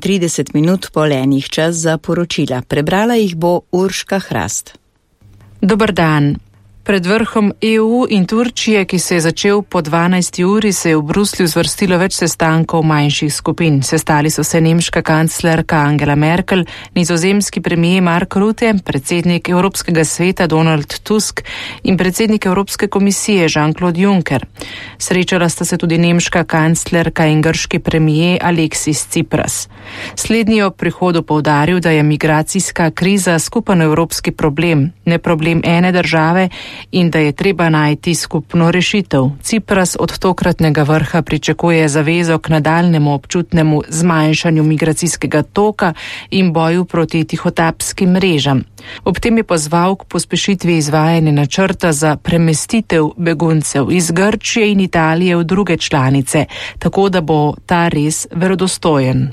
30 minut po enih čas za poročila. Prebrala jih bo Urška Hrast. Dober dan. Pred vrhom EU in Turčije, ki se je začel po 12. uri, se je v Bruslju zvrstilo več sestankov manjših skupin. Sestali so se nemška kanclerka Angela Merkel, nizozemski premijer Mark Rutte, predsednik Evropskega sveta Donald Tusk in predsednik Evropske komisije Jean-Claude Juncker. Srečala sta se tudi nemška kanclerka in grški premijer Alexis Tsipras. Slednji ob prihodu poudaril, da je migracijska kriza skupen evropski problem, ne problem ene države, in da je treba najti skupno rešitev. Tsipras od tokratnega vrha pričakuje zavezo k nadaljnemu občutnemu zmanjšanju migracijskega toka in boju proti tihotapskim mrežam. Ob tem je pozval k pospešitvi izvajanja načrta za premestitev beguncev iz Grčije in Italije v druge članice, tako da bo ta res verodostojen.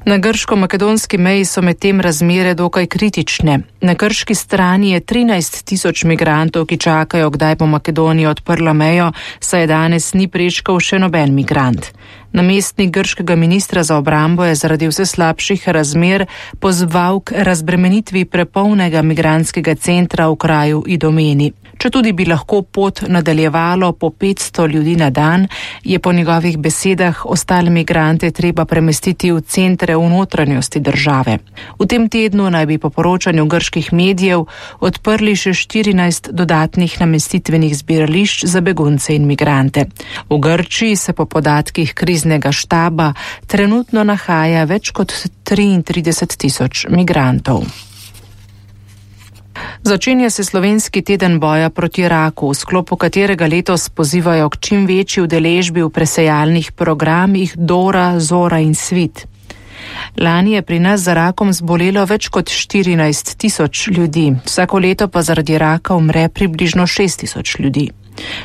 Na grško-makedonski meji so medtem razmere dokaj kritične. Na grški strani je 13.000 migrantov, ki čakajo, kdaj bo Makedonija odprla mejo, saj danes ni prečkal še noben migrant. Namestnik grškega ministra za obrambo je zaradi vse slabših razmer pozval k razbremenitvi prepolnega migrantskega centra v kraju Idomeni. Četudi bi lahko pot nadaljevalo po 500 ljudi na dan, je po njegovih besedah ostale migrante treba premestiti v centre v notranjosti države. V tem tednu naj bi po poročanju grških medijev odprli še 14 dodatnih namestitvenih zbirališč za begunce in migrante. V Grčiji se po podatkih kriznega štaba trenutno nahaja več kot 33.000 migrantov. Začenja se slovenski teden boja proti raku, v sklopu katerega letos pozivajo k čim večji udeležbi v presejalnih programih Dora, Zora in Svit. Lani je pri nas za rakom zbolelo več kot 14.000 ljudi, vsako leto pa zaradi raka umre približno 6.000 ljudi.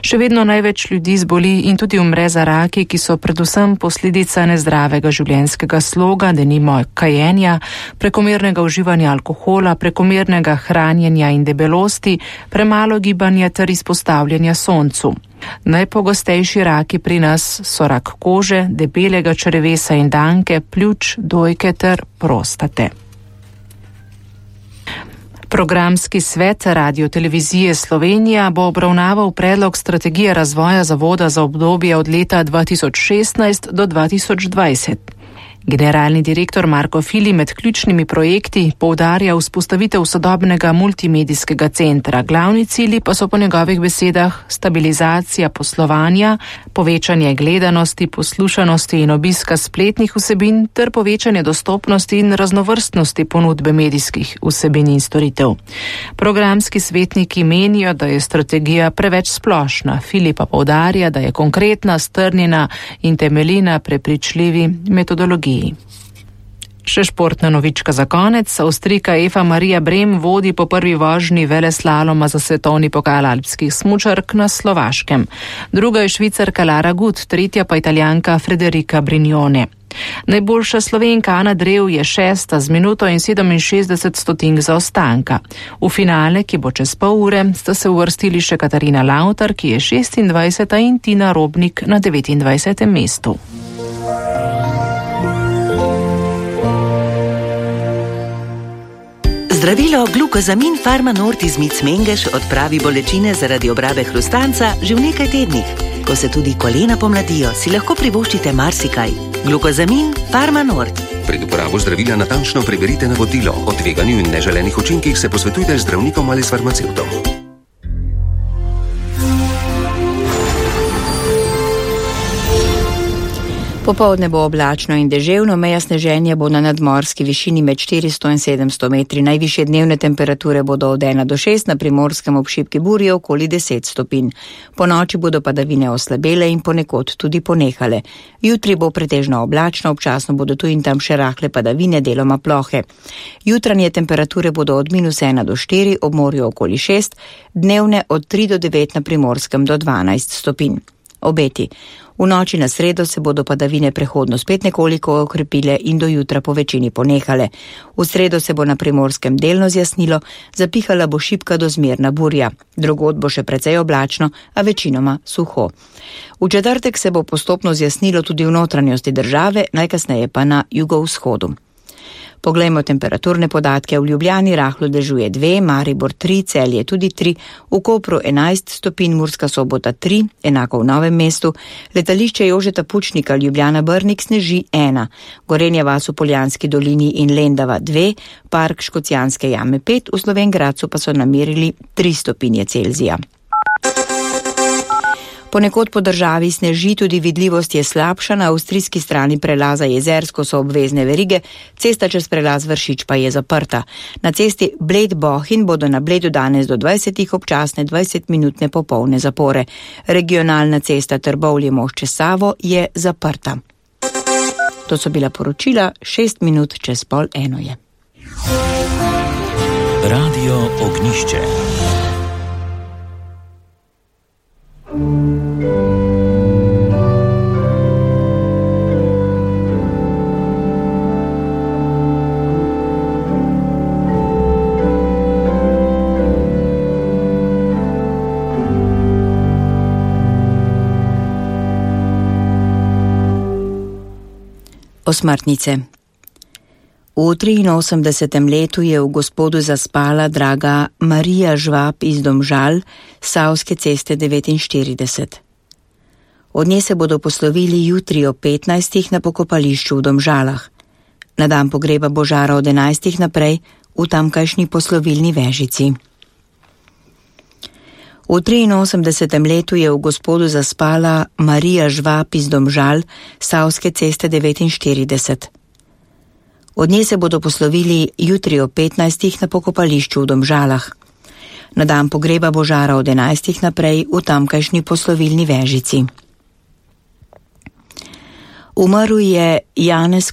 Še vedno največ ljudi zboli in tudi umre za raki, ki so predvsem posledica nezdravega življenjskega sloga, denimo kajenja, prekomernega uživanja alkohola, prekomernega hranjenja in debelosti, premalo gibanja ter izpostavljanja soncu. Najpogostejši raki pri nas so rak kože, debelega črevesa in danke, pljuč, dojke ter prostate. Programski svet Radio-televizije Slovenija bo obravnaval predlog strategije razvoja zavoda za obdobje od leta 2016 do 2020. Generalni direktor Marko Fili med ključnimi projekti poudarja vzpostavitev sodobnega multimedijskega centra. Glavni cilji pa so po njegovih besedah stabilizacija poslovanja, povečanje gledanosti, poslušanosti in obiska spletnih vsebin ter povečanje dostopnosti in raznovrstnosti ponudbe medijskih vsebin in storitev. Programski svetniki menijo, da je strategija preveč splošna. Fili pa poudarja, da je konkretna, strnjena in temelji na prepričljivi metodologiji. Še športna novička za konec. Avstrijka Eva Marija Brem vodi po prvi vožnji veleslaloma za svetovni pokal alpskih smučark na Slovaškem. Druga je Švicarka Lara Gut, tretja pa Italijanka Federica Brignone. Najboljša Slovenka Ana Drev je 6. z minuto in 67 stotink zaostanka. V finale, ki bo čez pol ure, sta se uvrstili še Katarina Lautar, ki je 26. in Tina Robnik na 29. mestu. Zdravilo Glukozamin Pharma-Nord iz Micmengeš odpravi bolečine zaradi obrabe hrustanca že v nekaj tednih. Ko se tudi kolena pomladijo, si lahko privoščite marsikaj. Glukozamin Pharma-Nord. Pred uporabo zdravila natančno preverite navodilo. O tveganju in neželenih učinkih se posvetujte z zdravnikom ali s farmacevtom. Popoldne bo oblačno in deževno, meja sneženja bo na nadmorski višini med 400 in 700 metri. Najvišje dnevne temperature bodo od 1 do 6, na primorskem ob šibki burji okoli 10 stopinj. Po noči bodo padavine oslabele in ponekod tudi ponehale. Jutri bo pretežno oblačno, občasno bodo tu in tam še rahle padavine, deloma plohe. Jutranje temperature bodo od -1 do 4, ob morju okoli 6, dnevne od 3 do 9, na primorskem do 12 stopinj. Obeti. V noči na sredo se bodo padavine prehodno spet nekoliko okrepile in do jutra po večini ponehale. V sredo se bo na Primorskem delno zjasnilo, zapihala bo šibka do zmerna burja. Drugod bo še precej oblačno, a večinoma suho. V četrtek se bo postopno zjasnilo tudi v notranjosti države, najkasneje pa na jugovzhodu. Poglejmo temperaturne podatke. V Ljubljani rahlo dežuje 2, Maribor 3, Celje tudi 3, v Kopru 11 stopinj, Murska Sobota 3, enako v Novem mestu, letališče Jožeta Pučnika Ljubljana-Brnik sneži 1, Gorenja vas v Poljanski dolini in Lendava 2, Park Škocjanske jame 5, v Slovenj Gradcu pa so namerili 3 stopinje Celzija. Ponekod po državi sneži, tudi vidljivost je slabša, na avstrijski strani prelaza Jezersko so obvezne verige, cesta čez prelaz Vršič pa je zaprta. Na cesti Bled-Bohinj bodo na Bledu danes do 20 občasne 20-minutne popolne zapore. Regionalna cesta Trbovlje-Mošče Savo je zaprta. To so bila poročila, 6 minut čez 12:30 je. Radio Ognišče. Osmrtnice. V 83. letu je v Gospodu zaspala draga Marija Žvab iz Domžal, Savske ceste 49. Od nje se bodo poslovili jutri ob 15. na pokopališču v Domžalah. Na dan pogreba Božara od 11. naprej v tamkajšnji poslovilni vežici. V 83. letu je v Gospodu zaspala Marija Žvab iz Domžal, Savske ceste 49. Od nje se bodo poslovili jutri ob 15. na pokopališču v Domžalah. Na dan pogreba Božara od 11. naprej v tamkajšnji poslovilni vežici. Umrl je Janez